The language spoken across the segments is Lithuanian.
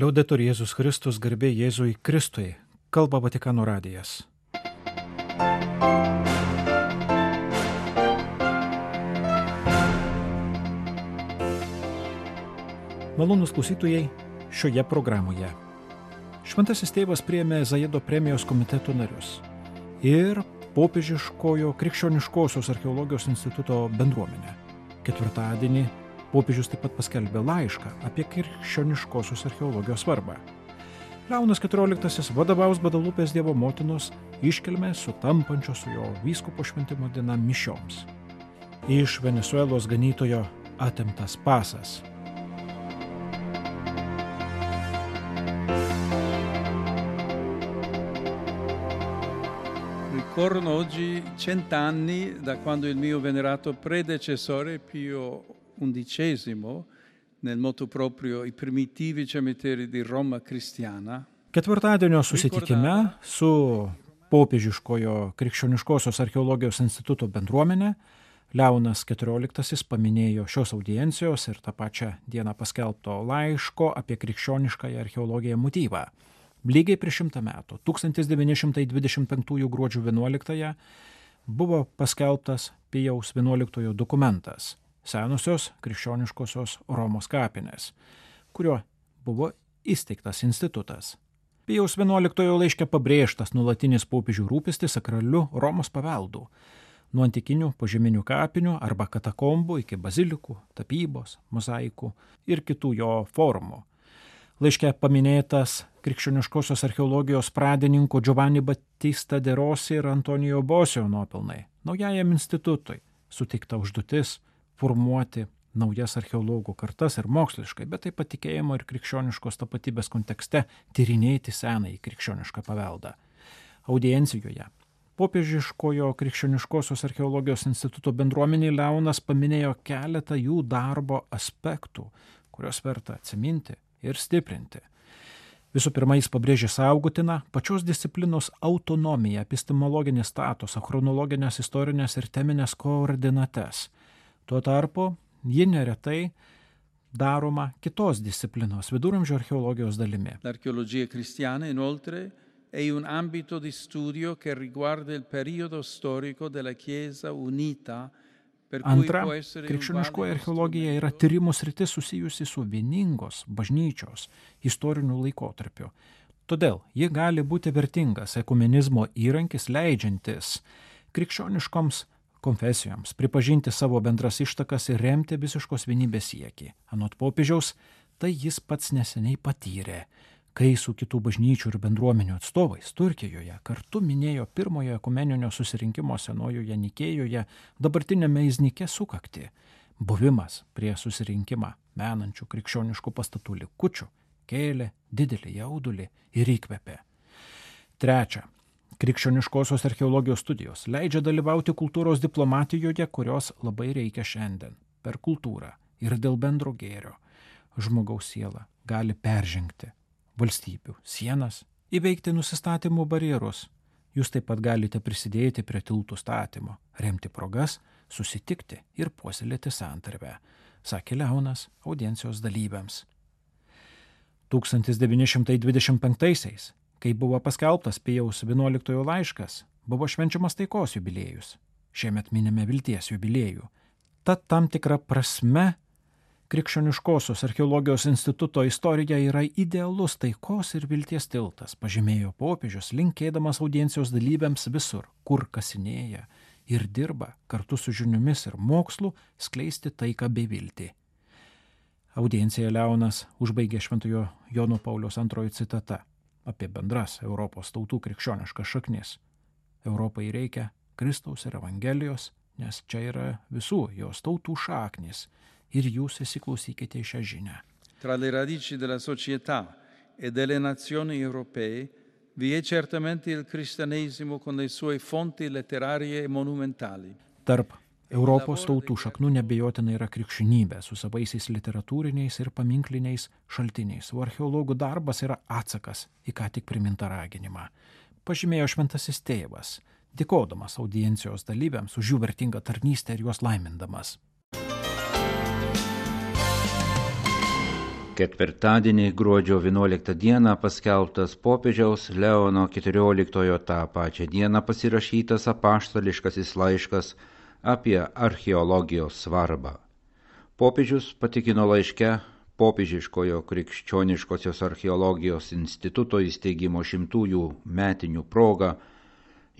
Liaudetur Jėzus Kristus, garbė Jėzui Kristui, kalba Vatikano radijas. Malonūs klausytojai, šioje programoje Šventasis tėvas priėmė Zajedo premijos komiteto narius ir Popiežiškojo krikščioniškosios archeologijos instituto bendruomenę. Ketvirtadienį popiežius taip pat paskelbė laišką apie krikščioniškosios archeologijos svarbą. Leonas XIV vadovaus Gvadelupės Dievo motinos iškilmę sutampančio su jo vyskupo šventimo diena mišioms. Iš Venesuelos ganytojo atimtas pasas. Ricorrono oggi 100 anni da quando il mio venerato predecessore Pio XI, nel motu proprio I primitivi cimiteri di Roma cristiana. Ketvirtadienio susitikime su Popiežiškojo krikščioniškosios archeologijos instituto bendruomenė Leonas XIV paminėjo šios audiencijos ir tą pačią dieną paskelbto laiško apie krikščioniškąją archeologiją motyvą. Lygiai prieš 100 metų, 1925 gruodžio 11 buvo paskelbtas Pijaus XI dokumentas Senosios krikščioniškosios Romos kapinės, kuriuo buvo įsteigtas institutas. Pijaus XI laiške pabrėžtas nuolatinis popiežių rūpestis sakraliu Romos paveldu, nuo antikinių požeminių kapinių arba katakombų iki bazilikų, tapybos, mozaikų ir kitų jo formų. Laiške paminėtas krikščioniškosios archeologijos pradininkų Giovanni Battista de Rossi ir Antonijo Bosio nuopelnai. Naujajam institutui suteikta užduotis formuoti naujas archeologų kartas ir moksliškai, bet taip pat tikėjimo ir krikščioniškos tapatybės kontekste tyrinėti senąjį krikščionišką paveldą. Audiencijoje Popiežiškojo krikščioniškosios archeologijos instituto bendruomenė Leonas paminėjo keletą jų darbo aspektų, kurios verta atsiminti ir stiprinti. Visų pirma, jis pabrėžė saugotiną pačios disciplinos autonomiją, epistemologinį statusą, chronologinės, istorinės ir teminės koordinates. Tuo tarpu, ji neretai daroma kitos disciplinos, viduramžių archeologijos dalimi. L'archeologia cristiana, inoltre, è un ambito di studio che riguarda il periodo storico della Chiesa unita. Antra, krikščioniškoji archeologija yra tyrimų sritis susijusi su vieningos bažnyčios istoriniu laikotarpiu. Todėl ji gali būti vertingas ekumenizmo įrankis, leidžiantis krikščioniškoms konfesijoms pripažinti savo bendras ištakas ir remti visiškos vienybės siekį. Anot popiežiaus, tai jis pats neseniai patyrė, kai su kitų bažnyčių ir bendruomenių atstovais Turkijoje kartu minėjo pirmojo ekumeninio susirinkimo Senojoje Nikėjoje, dabartinėme Iznike sukaktį. Buvimas prie susirinkimą menančių krikščioniškų pastatų likučių kėlė didelį jaudulį ir įkvėpė. Trečia, krikščioniškosios archeologijos studijos leidžia dalyvauti kultūros diplomatijoje, kurios labai reikia šiandien. Per kultūrą ir dėl bendro gėrio žmogaus siela gali peržengti valstybių sienas, įveikti nusistatymų barjerus. Jūs taip pat galite prisidėti prie tiltų statymo, remti progas, susitikti ir puoselėti santarvę, sakė Leonas audiencijos dalyviams. 1925-aisiais, kai buvo paskelbtas Pijaus XI laiškas, buvo švenčiamas taikos jubiliejus. Šiemet minime vilties jubiliejų. Tad tam tikra prasme Krikščioniškosios archeologijos instituto istorija yra idealus taikos ir vilties tiltas, pažymėjo popiežius, linkėdamas audiencijos dalyviams visur, kur kasinėja ir dirba kartu su žiniomis ir mokslu skleisti taiką bei viltį. Audienciją Leonas užbaigė Šventojo Jono Pauliaus II citata apie bendras Europos tautų krikščioniškas šaknis. Europai reikia Kristaus ir Evangelijos, nes čia yra visų jos tautų šaknis. Ir jūs įsiklausykite į šią žinią. Tra le radici della società e delle nazioni europee vi è certamente il cristianesimo con le sue fonti letterarie e monumentali. Tarp Europos tautų šaknų nebejotinai yra krikščionybė su savaisiais literatūriniais ir paminkliniais šaltiniais, o archeologų darbas yra atsakas į ką tik primintą raginimą. Pažymėjo šventasis tėvas, dėkodamas audiencijos dalyviams už jų vertingą tarnystę ir juos laimindamas. Ketvirtadienį gruodžio 11 dieną paskelbtas popiežiaus Leono XIV tą pačią dieną pasirašytas apaštališkasis laiškas apie archeologijos svarbą. Popiežius patikino laiške Popiežiškojo krikščioniškosios archeologijos instituto įsteigimo 100-ųjų metinių proga,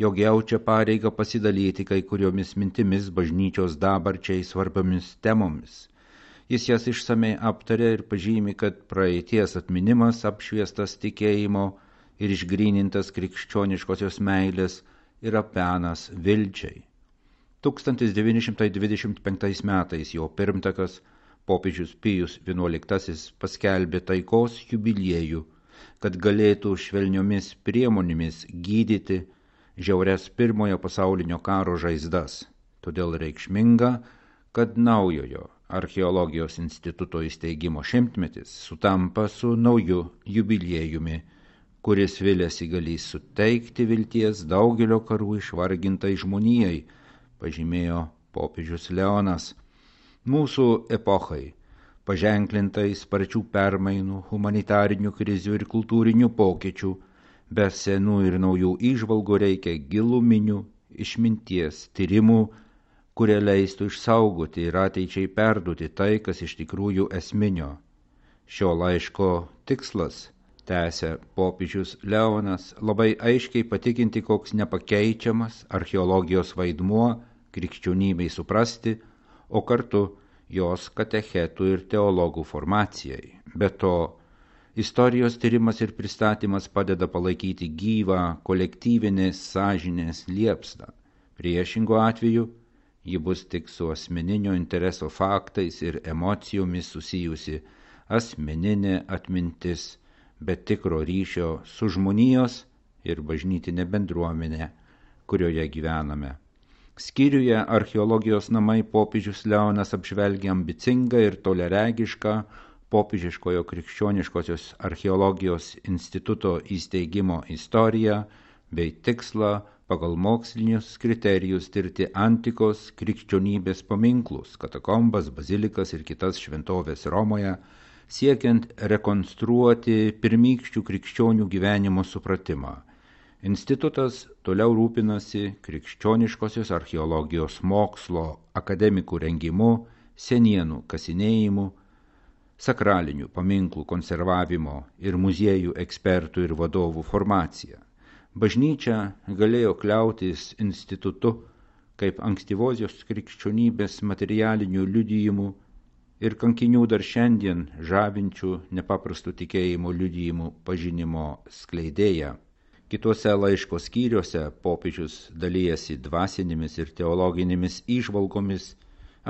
jog jaučia pareigą pasidalyti kai kuriomis mintimis bažnyčios dabarčiai svarbiomis temomis. Jis jas išsamei aptarė ir pažymi, kad praeities atminimas apšviestas tikėjimo ir išgrynintas krikščioniškosios meilės yra penas vilčiai. 1925 metais jo pirmtakas popiežius Pijus XI paskelbė taikos jubiliejų, kad galėtų švelniomis priemonėmis gydyti žiaurias Pirmojo pasaulinio karo žaizdas. Todėl reikšminga, kad naujojo archeologijos instituto įsteigimo 100-metis sutampa su nauju jubiliejumi, kuris viliasi galės suteikti vilties daugelio karų išvargintai žmonijai, pažymėjo popiežius Leonas. Mūsų epochai, paženklintai sparčių permainų, humanitarinių krizių ir kultūrinių pokyčių, be senų ir naujų įžvalgų reikia giluminių išminties tyrimų, kurie leistų išsaugoti ir ateičiai perduoti tai, kas iš tikrųjų esminio. Šio laiško tikslas, tęsia popiežius Leonas, labai aiškiai patikinti, koks nepakeičiamas archeologijos vaidmuo krikščionybei suprasti, o kartu jos katechetų ir teologų formacijai. Be to, istorijos tyrimas ir pristatymas padeda palaikyti gyvą kolektyvinės sąžinės liepsną. Priešingu atveju, ji bus tik su asmeninio intereso faktais ir emocijomis susijusi asmeninė atmintis, bet tikro ryšio su žmonijos ir bažnytinė bendruomenė, kurioje gyvename. Skyriuje archeologijos namai popiežius Leonas apžvelgia ambicingą ir toleregišką Popiežiškojo krikščioniškosios archeologijos instituto įsteigimo istoriją bei tikslą pagal mokslinius kriterijus tirti antikos krikščionybės paminklus, katakombas, bazilikas ir kitas šventovės Romoje, siekiant rekonstruoti pirmykščių krikščionių gyvenimo supratimą. Institutas toliau rūpinasi krikščioniškosios archeologijos mokslo akademikų rengimu, senienų kasinėjimu, sakralinių paminklų konservavimo ir muziejų ekspertų ir vadovų formacija. Bažnyčia galėjo kliautis institutu kaip ankstyvosios krikščionybės materialinių liudijimų ir kankinių dar šiandien žavinčių nepaprastų tikėjimo liudijimų pažinimo skleidėja. Kituose laiško skyriuose popiežius dalijasi dvasinėmis ir teologinėmis įžvalgomis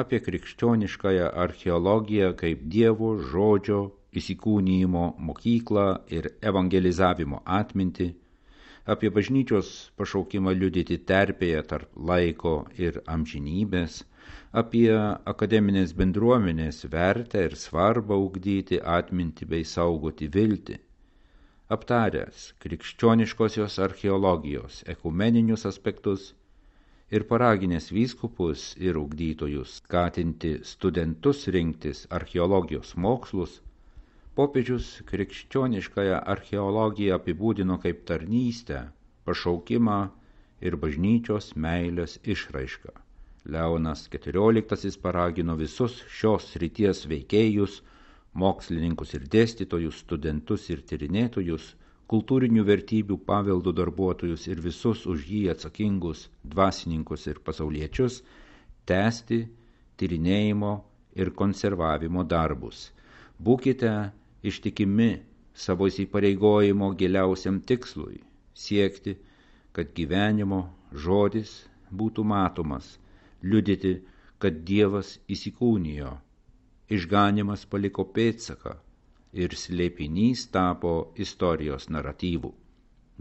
apie krikščioniškąją archeologiją kaip Dievo žodžio įsikūnijimo mokyklą ir evangelizavimo atmintį, apie bažnyčios pašaukimą liudyti terpėje tarp laiko ir amžinybės, apie akademinės bendruomenės vertę ir svarbą ugdyti atmintį bei saugoti viltį. Aptaręs krikščioniškosios archeologijos ekumeninius aspektus ir paraginęs vyskupus ir ugdytojus skatinti studentus rinktis archeologijos mokslus, popiežius krikščioniškąją archeologiją apibūdino kaip tarnystę, pašaukimą ir bažnyčios meilės išraišką. Leonas XIV paragino visus šios srities veikėjus, mokslininkus ir dėstytojus, studentus ir tyrinėtojus, kultūrinių vertybių paveldo darbuotojus ir visus už jį atsakingus dvasininkus ir pasauliečius tęsti tyrinėjimo ir konservavimo darbus. Būkite ištikimi savo įsipareigojimo giliausiam tikslui, siekti, kad gyvenimo žodis būtų matomas, liudyti, kad Dievas įsikūnijo, išganymas paliko pėdsaką ir slėpinys tapo istorijos naratyvų.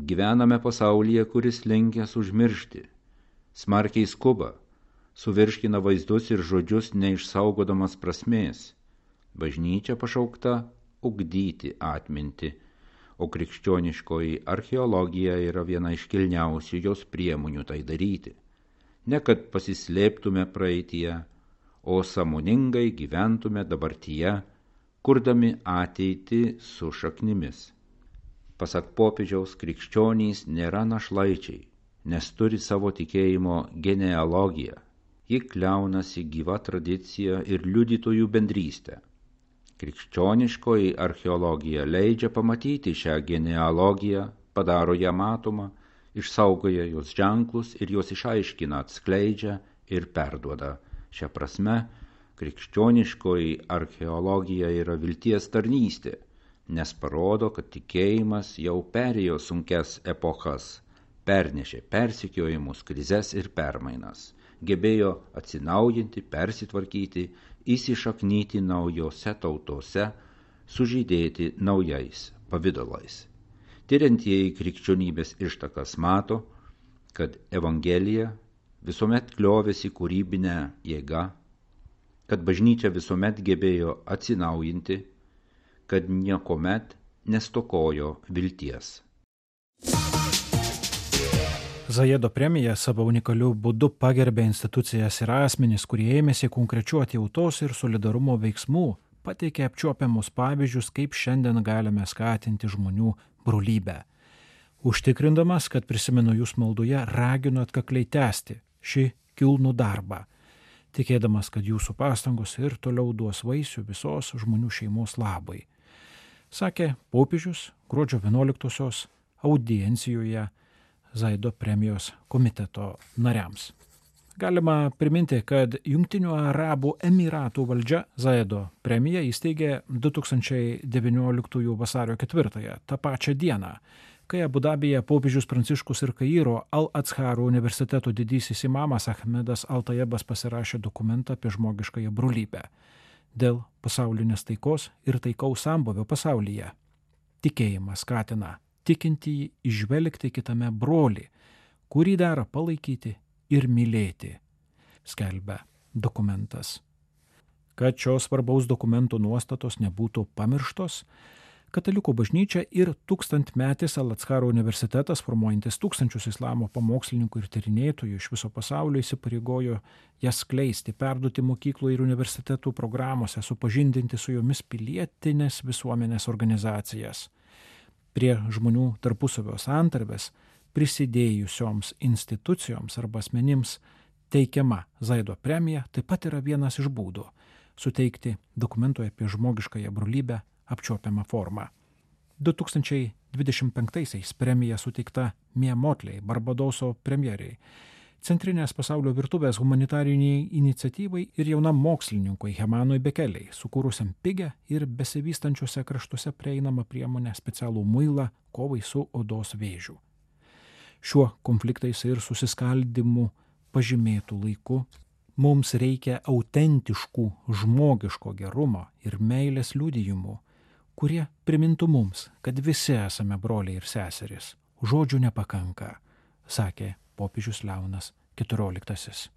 Gyvename pasaulyje, kuris linkęs užmiršti, smarkiai skuba, suvirškina vaizdus ir žodžius neišsaugodamas prasmės. Bažnyčia pašaukta ugdyti atmintį, o krikščioniškoji archeologija yra viena iš kilniausių jos priemonių tai daryti. Ne kad pasislėptume praeityje, o sąmoningai gyventume dabartyje, kurdami ateitį su šaknimis. Pasak popiežiaus, krikščionys nėra našlaičiai, nes turi savo tikėjimo genealogiją. Ji kliaunasi gyva tradicija ir liudytojų bendrystė. Krikščioniškoji archeologija leidžia pamatyti šią genealogiją, padaro ją matomą, išsaugoja jos ženklus ir jos išaiškina, atskleidžia ir perduoda. Šia prasme, krikščioniškoji archeologija yra vilties tarnystė, nes parodo, kad tikėjimas jau perėjo sunkias epochas, pernešė persekiojimus, krizes ir permainas, gebėjo atsinaujinti, persitvarkyti, įsišaknyti naujose tautose, sužydėti naujais pavidalais. Tiriantieji krikščionybės ištakas mato, kad Evangelija visuomet kliovėsi kūrybinę jėgą, kad bažnyčia visuomet gebėjo atsinaujinti, kad niekuomet nestokojo vilties. Zajedo premija savo unikaliu būdu pagerbė institucijas ir asmenis, kurie ėmėsi konkrečių atjautos ir solidarumo veiksmų, pateikė apčiuopiamus pavyzdžius, kaip šiandien galime skatinti žmonių brolybę. Užtikrindamas, kad prisimenu jūs maldoje, raginu atkakliai tęsti šį kilnų darbą, tikėdamas, kad jūsų pastangos ir toliau duos vaisių visos žmonių šeimos labai, sakė popiežius gruodžio 11-osios audiencijoje Zajedo premijos komiteto nariams. Galima priminti, kad Jungtinių Arabų Emyratų valdžia Zajedo premiją įsteigė 2019 vasario 4, tą pačią dieną, kai Abu Dabyje popiežius Pranciškus ir Kairo Al-Azharo universiteto didysis imamas Ahmedas Al-Tayebas pasirašė dokumentą apie žmogiškąją brolybę dėl pasaulinės taikos ir taikaus sambūvio pasaulyje. Tikėjimas skatina tikintįjį įžvelgti kitame brolį, kurį dera palaikyti ir mylėti, skelbia dokumentas. Kad šios svarbaus dokumento nuostatos nebūtų pamirštos, Katalikų bažnyčia ir tūkstantmetis Al-Azharo universitetas, formuojantis tūkstančius islamo pamokslininkų ir tyrinėtojų iš viso pasaulio, įsipareigojo jas skleisti, perduoti mokyklų ir universitetų programuose, supažindinti su jomis pilietinės visuomenės organizacijas. Prie žmonių tarpusavio santarvės prisidėjusioms institucijoms arba asmenims teikiama Zajedo premija taip pat yra vienas iš būdų suteikti dokumentoje apie žmogiškąją brolybę apčiuopiamą formą. 2025-aisiais premija suteikta Mia Motley, Barbadoso premjeriai, Centrinės pasaulio virtuvės humanitariniai iniciatyvai ir jaunam mokslininkui Hemanui Bekeliai, sukūrusiam pigę ir besivystančiuose kraštuose prieinamą priemonę specialų muilą kovai su odos vėžiu. Šiuo konfliktais ir susiskaldimu pažymėtų laiku mums reikia autentiškų žmogiško gerumo ir meilės liudijimų, kurie primintų mums, kad visi esame broliai ir seserys. Žodžių nepakanka, sakė popiežius Leonas XIV.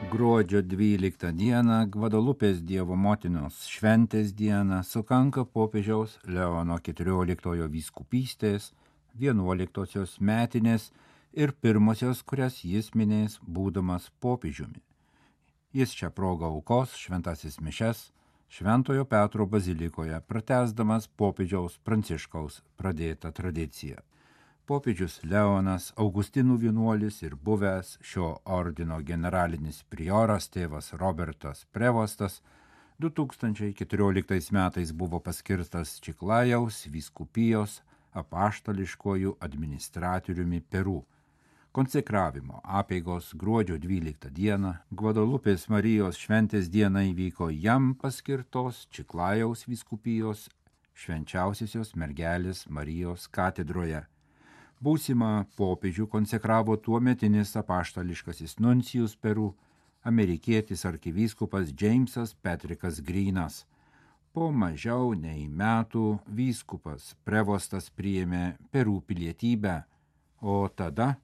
Gruodžio 12 dieną, Gvadalupės Dievo motinos šventės dieną, sukanka popiežiaus Leono XIV vyskupystės 11-osios metinės ir pirmosios, kurias jis minės būdamas popiežiumi. Jis šią progą aukos šventasis mišias Šventojo Petro bazilikoje, pratęsdamas popiežiaus Pranciškaus pradėtą tradiciją. Popiežius Leonas, Augustinų vienuolis ir buvęs šio ordino generalinis prioras tėvas Robertas Prevostas 2014 metais buvo paskirtas Čiklajaus vyskupijos apaštališkuoju administratoriumi Peru. Konsekravimo apeigos gruodžio 12 dieną, Gvadalupės Marijos šventės dieną įvyko jam paskirtos Čiklajaus vyskupijos švenčiausiosios mergelės Marijos katedroje. Būsimą popiežių konsekravo tuometinis apaštališkasis nuncijus Peru, amerikietis arkivyskupas Džeimsas Petrikas Grynas. Po mažiau nei metų vyskupas Prevostas priėmė Peru pilietybę, o tada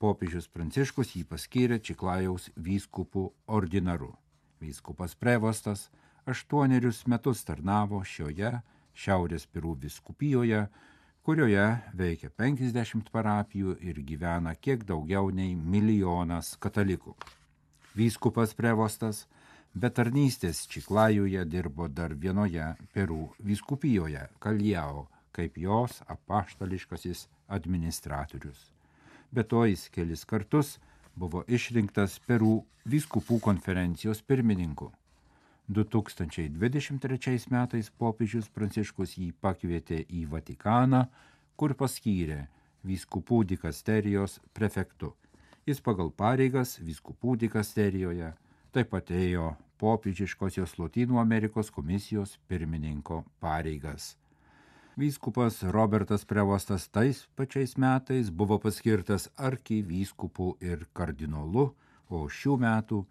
popiežius Pranciškus jį paskyrė Čiklajaus vyskupų ordinaru. Vyskupas Prevostas 8 metus tarnavo šioje Šiaurės Peru vyskupijoje, kurioje veikia 50 parapijų ir gyvena kiek daugiau nei 1 milijonas katalikų. Vyskupas Prevostas be tarnystės Čiklajuje dirbo dar vienoje Peru vyskupijoje Kaljao, kaip jos apaštališkasis administratorius. Be to jis kelis kartus buvo išrinktas Peru vyskupų konferencijos pirmininku. 2023 metais popiežius Pranciškus jį pakvietė į Vatikaną, kur paskyrė vyskupų dikasterijos prefektu. Jis pagal pareigas vyskupų dikasterijoje taip pat ėjo popiežiškosios Lotynų Amerikos komisijos pirmininko pareigas. Vyskupas Robertas Prevostas tais pačiais metais buvo paskirtas arkivyskupu ir kardinolu, o šių metų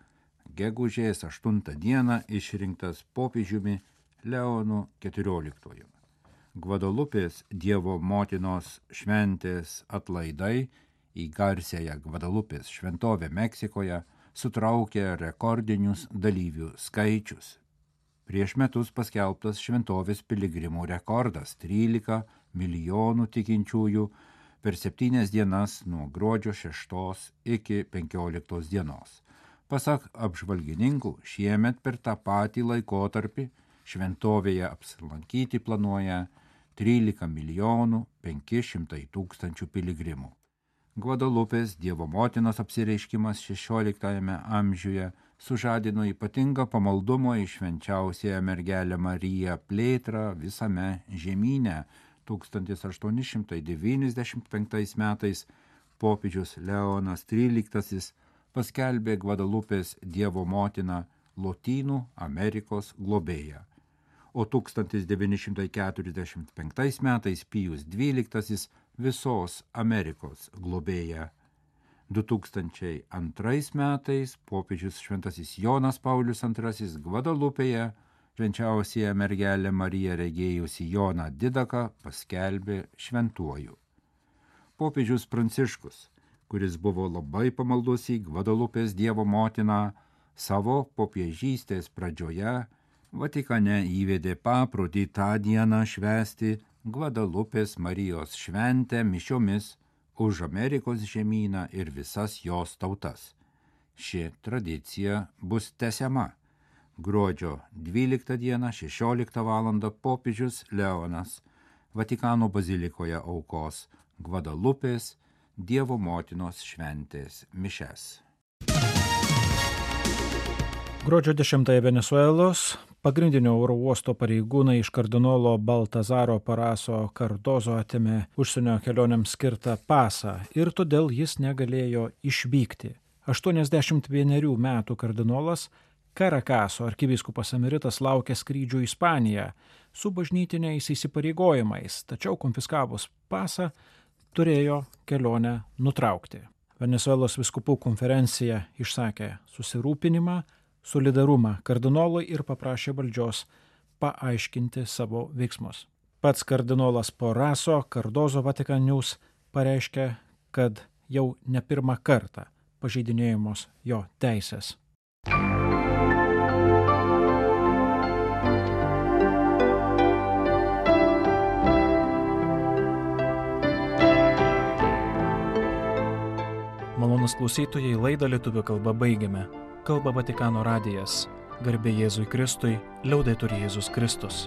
gegužės 8 dieną išrinktas popiežiumi Leonu XIV. Gvadalupės Dievo motinos šventės atlaidai į garsiąją Gvadalupės šventovę Meksikoje sutraukė rekordinius dalyvių skaičius. Prieš metus paskelbtas šventovės piligrimų rekordas – 13 milijonų tikinčiųjų per 7 dienas nuo gruodžio 6 iki 15 dienos. Pasak apžvalgininkų, šiemet per tą patį laikotarpį šventovėje apsilankyti planuoja 13 milijonų 500 tūkstančių piligrimų. Gvadalupės Dievo motinos apsireiškimas 16 amžiuje sužadino ypatingą pamaldumo į švenčiausiąją mergelę Mariją plėtrą visame žemyne. 1895 metais popiežius Leonas XIII paskelbė Gvadalupės Dievo motiną Lotynų Amerikos globėja, o 1945 metais Pijus XII visos Amerikos globėja. 2002 metais popiežius šventasis Jonas Paulius II Gvadalupėje švenčiausiąją mergelę Mariją regėjusi Joną Didaką paskelbė šventuoju. Popiežius Pranciškus, kuris buvo labai pamaldus į Gvadalupės Dievo motiną, savo popiežystės pradžioje Vatikane įvedė paprotį tą dieną švęsti Gvadalupės Marijos šventę mišiomis už Amerikos žemyną ir visas jos tautas. Ši tradicija bus tęsiama. Gruodžio 12 dieną 16 val. Popiežius Leonas Vatikano bazilikoje aukos Gvadalupės Dievo motinos šventės mišias. Gruodžio 10 Venesuelos pagrindinio oro uosto pareigūnai iš kardinolo Baltazaro Paraso Cardozo atėmė užsienio kelionėms skirtą pasą ir todėl jis negalėjo išvykti. 81 metų kardinolas Karakaso arkivyskupas emeritas laukia skrydžių į Ispaniją su bažnytiniais įsipareigojimais, tačiau konfiskavus pasą turėjo kelionę nutraukti. Venesuelos vyskupų konferencija išsakė susirūpinimą, solidarumą kardinolui ir paprašė valdžios paaiškinti savo veiksmus. Pats kardinolas Paraso Cardozo Vatican News pareiškė, kad jau ne pirmą kartą pažeidinėjamos jo teisės. Malonūs klausytojai, laidą lietuvių kalba baigiame. Kalba Vatikano radijas. Garbė Jėzui Kristui, liaudetur Jėzus Kristus.